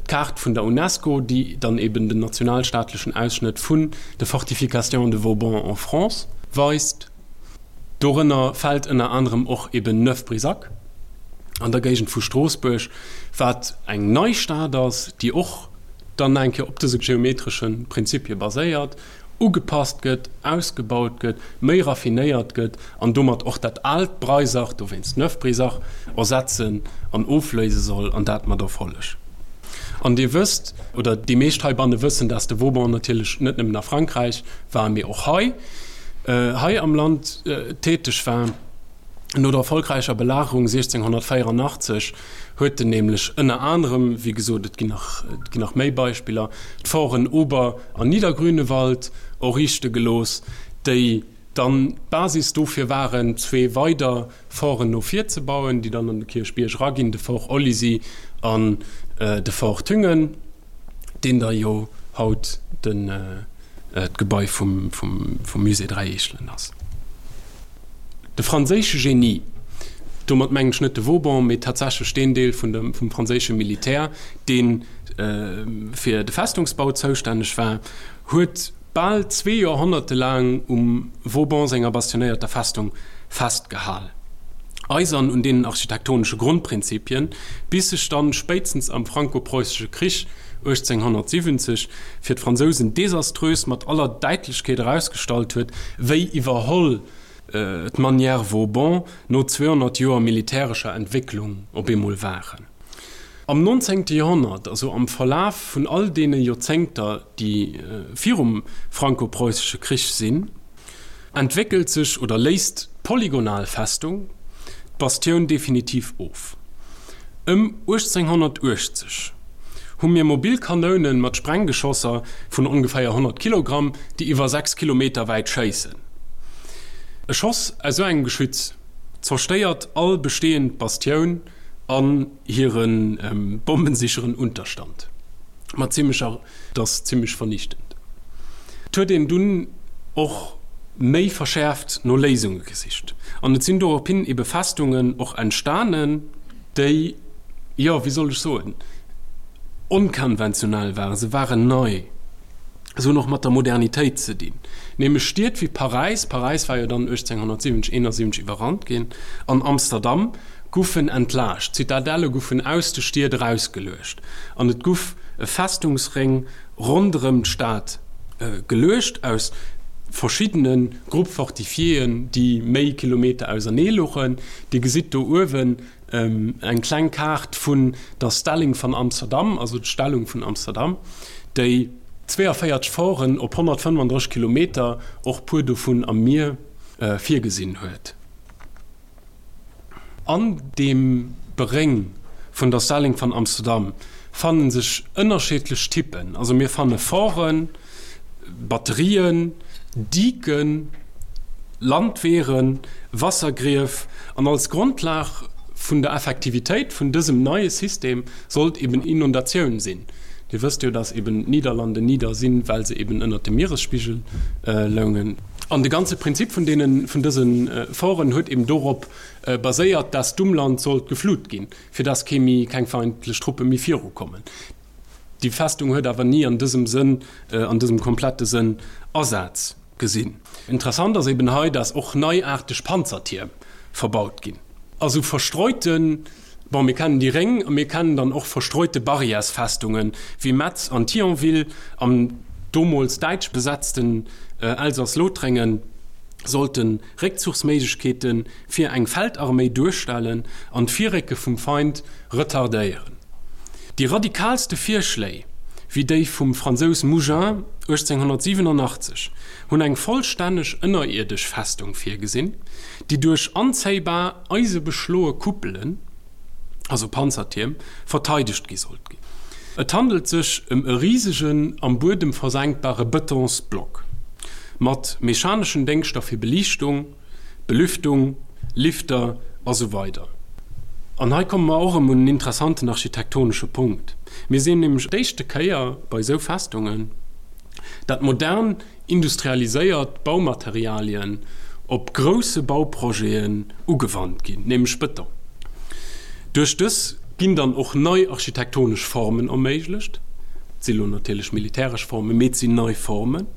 d'Kaart vun der UNESCO, déi dann eben den nationalstaatlechen Ausschnëtt vun de Fortifications de Vauban en France weist. Dorënner fält ënner anerem och eben Neuf-Brisach an der Géigend vu Stroossbuerg, wat eng nei Stad ass, déi och dann eng Kéier op dëse geometresche Prinzipie baséiert, ugepasst gëtt, ausgebaut gëtt, méi raffinéiert gëtt an domat och dat aalt Breisach, dowéinst Neuf-Brisach, ersetzen an ofléise soll, an dat mat Erfolleg. An Dir wësst, oder déi meescht heibanne wëssen, dass de Vauban natierlech net nëmmen a Frankräich war, mee och hei. Hei am Land täteg war. No der erfolgräicher Belagerung 1684 huet en nämlech ënner anerem, wéi gesot, et ginn nach, et ginn nach méi Beispiller, d'Forten Ober an Niedergrünewald erriichte gelooss, déi dann d'Basis dofir waren, zwee weider Forten no vir ze bauen, déi dann an de Kierchbierg eraginn, de Fort Olizy an de Fort Thüngen. deen da jo haut den d'Gebai vum vum Musée Dräi Eechelen ass. De franséische Genie, domat mengen ech net de Vauban, mee tatsächlech deen Deel vun dem vum franséische Militär, dee fir de Festungsbau zoustänneg war, huet bal zwee Joerhonnerte laang um Vauban senger bastionéierter Festung festgehal, eisern un deenen architektonesche Grondprinzipien, bis sech dann spéitstens am Franko-Preussesche Krich 1870 fir d'Fransousen desaströs mat aller Däitlechkeet erausgestallt huet, wéi iwwerholl d'Manière Vauban no 200 Joer militärescher Entwécklung op eemol waren. Am nonzéngte Joerhonnert, also am Verlaf vun all deene Joerzéngter, déi virum Franko-Preussesche Krich sinn, entwéckelt sech oder léist d'polygonal Festung d'Bastioun definitiv of. Ëm 1880 hu mir mobil Kanoune mat Sprenggeschosser vun ongeféier 100 Kilogramm, déi iwwer 6 Kilometer wäit schéissen. E Schoss aus esou engem Geschütz zerstéiert all bestehend Bastioun an hire bombensicheren Unterstand mat zimmlecher. Dat ass zimmlech vernichtend. Et huet een dunn och méi verschäerft no Léisunge gesicht an et sinn dorophin ebe Festungen och entstanen, déi, jo, wéi soll ech soen, onkonventionell waren. Se waren nei. Se hunn och mat der Modernitéit ze dinn. Nämlech Stied wéi Paräis, Paräis war jo dann 1870, 71 iwwerrannt ginn, an Amsterdam. guffen entlaascht, d'Zitadelle guffen aus de Stied erausgeluecht an et guff e Festungsréng ronderëm d'Stad geluecht aus verschiddene Groupes fortifiéen, déi méi Kilometer ausernee luchen. Dir gesitt do uewen eng kleng Kaart vun der Stelling van Amsterdam, also d'Stellung vun Amsterdam, déi 42 Forten op 135 Kilometer, och puer dovun am Mier, virgesinn huet. An deem Beréng vun der Stelling van Amsterdam fanne sech ënnerscheedlech Typen, also mir fanne Forten, Batterien, Diken, Landweeren, Wassergrief an als Grondlag vun der Effektivitéit vun dësem neie System sollt eben Inundatioun sinn. Dir wësst jo, dass eben d'Niederlande nieder sinn, well se eben ënnert dem Mieresspigel loungen. An de ganze Prinzip vun deenen, vun dëse Foren huet eben dorop baséiert, dass d'Umland sollt geflut ginn, fir dass kee méi, keng feindlech Truppe méi virukommen. Déi Festung huet awer ni an dësem Sënn, an dësem komplette Sënn Asaz gesinn. Interessant ass eben hei, dass och neiaarteg Panzertierm verbaut ginn. Also verstreuten, bon, mir kennen déi Réng a mir kennen dann och verstreute Barrièresfestungen, wéi Metz an Thionville am domols däitsch besetzten Elsass-Lothréngen, sollte Réckzuchsméiglechkeete fir eng Feldarméi duerstellen an d'Virrécke vum Feind retardéieren. Déi radikaalste Virschléi, wéi déi vum Fransous Mougin 1887, hunn eng vollstänneg ënnerierdesch Festung virgesinn, déi duerch anzéibar eisebeschloe Kuppelen, also Panzertierm, verteidegt gi sollt ginn. Et handelt sech ëm e risegen, am Buedem versenkbare Betonsblock mat mechaneschen Déngschter fir Beliichtung, Belüftung, Lifter a sou weider. An hei komme mer och erëm un en interessanten architektonesche Punkt. Mir sinn nämlech d'éischte Kéier bei esou Festungen, dat modern industrialiséiert Baumaterialien op grousse Bauprojeten ugewannt ginn, nämlech Bëton. Duerch dës ginn dann och nei architektonesch Formen erméiglecht. Et si lo natierlech militäresch Formen, mee et sinn nei Formen.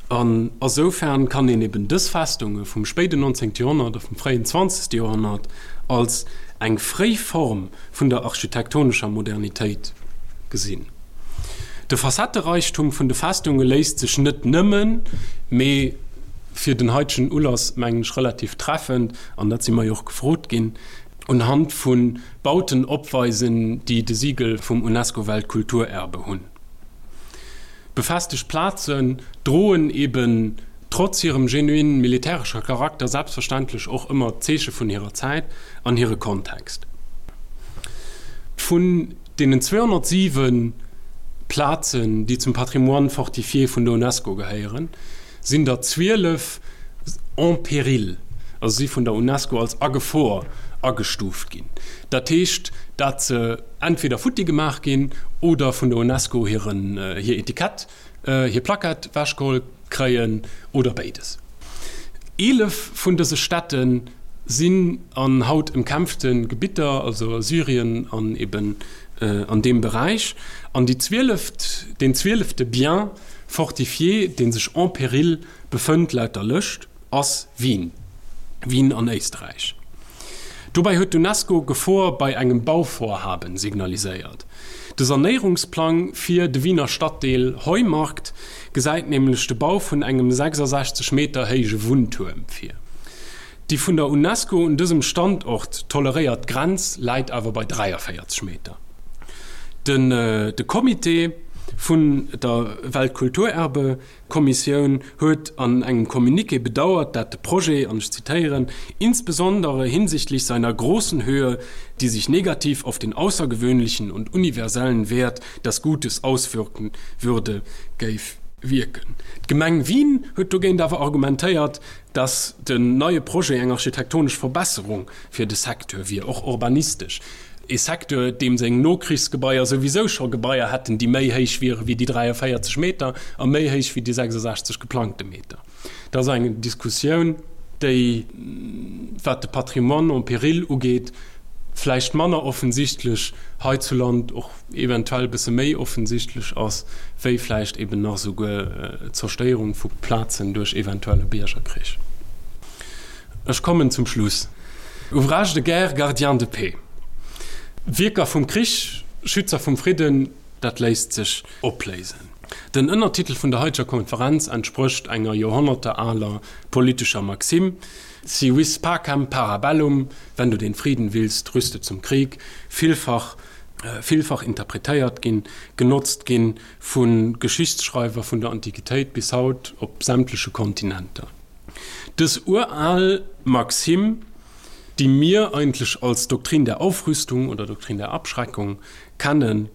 An asoufern kann een eben dës Festunge vum spéiden 19. Joerhonnert a vum fréien 20. Joerhonnert als eng fréi Form vun der architektonescher Modernitéit gesinn. De Facettereichtum vun de Festunge léisst sech net nëmmen, mee fir den haitegen Ulass mengen ech relativ treffend, an dat si mer jo och gefrot ginn, unhand vu Bauten opweisen, déi de Siegel vum UNESCO-Weltkulturerbe hunn. Befestegt Plazen droen eben trotz hirem genuin militärescher Charakter selbstverständlech och ëmmer d'Zeeche vun hirer Zäit an hire Kontext. Vun deenen 207 Plazen, déi zum Patrimoine fortifié vun der UNESCO gehéieren, sinn der 12 en péril, also si vun der UNESCO als a Gefor agestuuft ginn. Dat heescht, dat se entweder futti gemaach ginn oder vun der UNESCO hiren, hir Etikett, hir Plackett wechgeholl kréien oder béides. 11 vun dëse Städte sinn an haut ëmkämpfte Gebitter, also a Syrien an eben an deem Beräich. An déi zwieleft, deen zwielefte Bien fortifié, dee sech en péril befënnt laut der Lëscht, ass Wien, Wien an Éisträich. Dobäi huet d'UNESCO Gefor bei engem Bauvorhaben signaliséiert. De Sanéierungsplang fir de Wiener Stadtdeel Heumarkt gesäit nämlech de Bau vun engem 66 Meter héije Wunntuerm vir. Déi vun der UNESCO un dësem Standort toleréiert Grenz läit awer bei 43 Meter. Den de Comité vun der Weltkulturerbe Kommissioun huet an engem Communiqué bedauert, dat de Projet, an ech zitéieren, insbesondere hinsichtlich seiner großen Höhe, die sich negativ auf den außergewöhnlichen und universellen Wert des Gutes auswirken würde, géif wierken. D'Gemeng Wien huet dogéint awer argumentéiert, datt den neie Projet eng architektonesch Verbesserung fir de Secteur wier, och urbanistesch. Ee Secteur, deem seng Nokrichsgebaier souwisou scho Gebaier hätten, déi méi héich wiere wéi déi 43 Meter a méi héich wéi déi 66 geplangte Meter. Dat ass eng Diskussioun, déi, wat de Patrimoine en péril ugeet, vläicht manner offensichtlech heizuland, och eventuell e bësse méi offensichtlech ass, wéi vläicht eben nach esouguer d'Zerstéierung vu Plazen duerch eventuelle Biergerkrich. Ech kommen zum Schluss. Ouvrages de guerre, gardiens de paix. Wierker vum Krich, Schützer vum Fridden, dat léisst sech opléisen. Den Ënnertitel vun der haiteger Konferenz entsprécht enger joerhonnertealer politescher Maxime, Si vis pacem, para bellum, Wenn du den Frieden willst, rüste zum Krieg, villfach villfach interpretéiert ginn, genotzt ginn vu Geschichtsschreiwer vun der Antiquitéit bis haut op sämtleche Kontinenter. Dës ural Maxime, déi mir eigentlech als Doktrin der Aufrüstung oder Doktrin der Abschreckung kennen,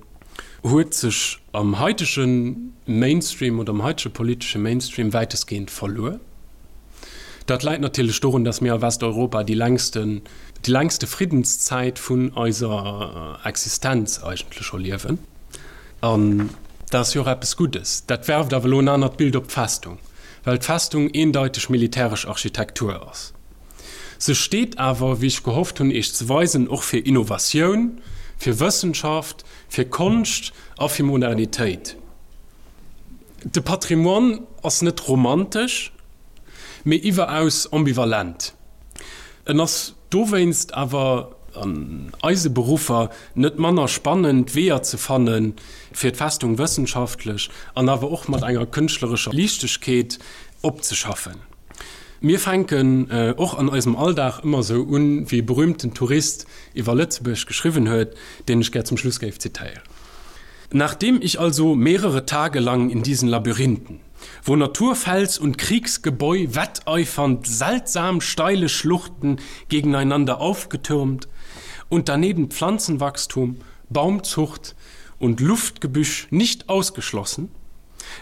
huet sech am haitege Mainstream oder am haitege politesche Mainstream wäitestgehend verluer. Dat läit natierlech dorun, datt mir a Westeuropa déi längsten, déi längste Friddenszäit vun eiser Existenz eigentlech erliewen. An dat ass jo och eppes Guddes. Dat werft awer elo en anert Bild op d'Festung, well d'Festung eendeiteg militäresch Architektur ass. Se steet awer, wéi ech gehofft hunn Iech ze weisen, och fir Innovatioun, fir Wëssenschaft, fir Konscht a fir Modernitéit. De Patrimoine ass net romantesch, mee iwweraus ambivalent. En ass dowéinst awer an eise Beruffer net manner spannend, Weeër ze fannen, fir d'Festung wëssenschaftlech an awer och mat enger kënschtlerescher Liichtegkeet opzeschaffen. Mir fänken och an eisem Alldag ëmmer esou un, wéi e berühmten Tourist iwwer Lëtzebuerg geschriwwen huet, deen ech gär zum Schluss géif zitéieren. Nachdem ich also mehrere Tage lang in diesen Labyrinthen, wo Naturfels und Kriegsgebäu wetteifernd seltsam steile Schluchten gegeneinander aufgetürmt und daneben Pflanzenwachstum, Baumzucht und Luftgebüsch nicht ausgeschlossen,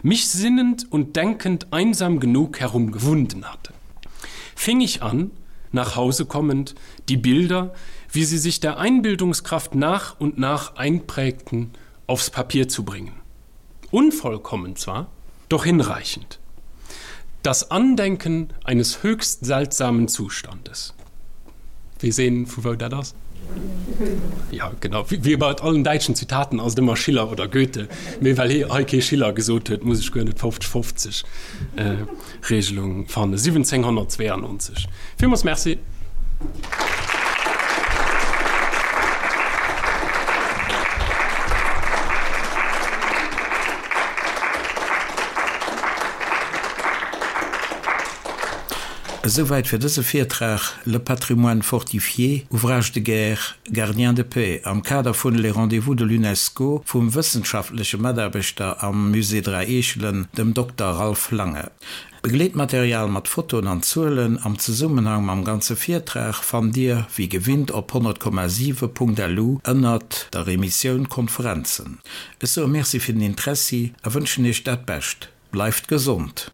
mich sinnend und denkend einsam genug herumgewunden hatte. Fing ich an, nach Hause kommend, die Bilder, wie sie sich der Einbildungskraft nach und nach einprägten, aufs Papier zu bringen. Unvollkommen zwar, doch hinreichend. Das Andenken eines höchst seltsamen Zustandes. Weess een, vu wou dat ass? Jo, genau. Wéi bei allen däitschen Zitaten ass et ëmmer Schiller oder Goethe. Mee well hie hei kee Schiller gesot huet, muss ech guer net 50, 50 Regelung fannen. 1792. Villmools Merci. Esouwäit fir dëse Virtrag Le patrimoine fortifié, ouvrage de guerre, gardien de paix am Kader vun Les rendez-vous de l'UNESCO vum wëssenschaftleche Mataarbechter am Musée Dräi Eechelen, dem Dokter Ralph Lange. Begleetmaterial mat Fotoen an Zuelen am Zesummenhang mam ganze Virtrag fannt Dir wéi gewinnt op 100,7.lu ënnert der Emissioun Konferenzen. Ech soe Merci fir den Interessi a wënschen Iech dat Bescht. Bleift gesond!